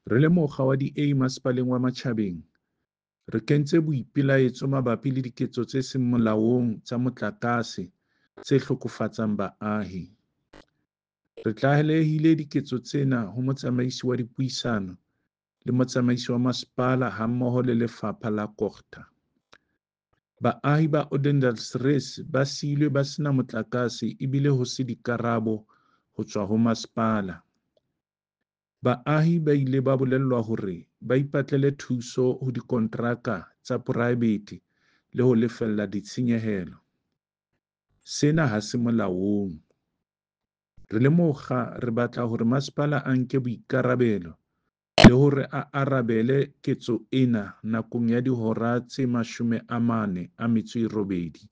Re le mokga wa DA Masepaleng wa Matjhabeng, re kentse boipelaetso mabapi le diketso tse seng molaong tsa motlakase tse hlokofatsang baahi. Re tlalehile diketso tsena ho Motsamaisi wa Dipuisano le Motsamaisi wa Masepala hammoho le Lefapha la Cogta. Baahi ba Odendaalsrus ba siilwe ba sena motlakase ebile ho se dikarabo ho tswa ho masepala. Baahi ba ile ba bolellwa hore ba ipatlele thuso ho dikonteraka tsa poraebete le ho lefella ditshenyehelo. Sena ha se molaong. Re le mokga re batla hore masepala a nke boikarabelo le hore a arabele ketso ena nakong ya dihora tse 48.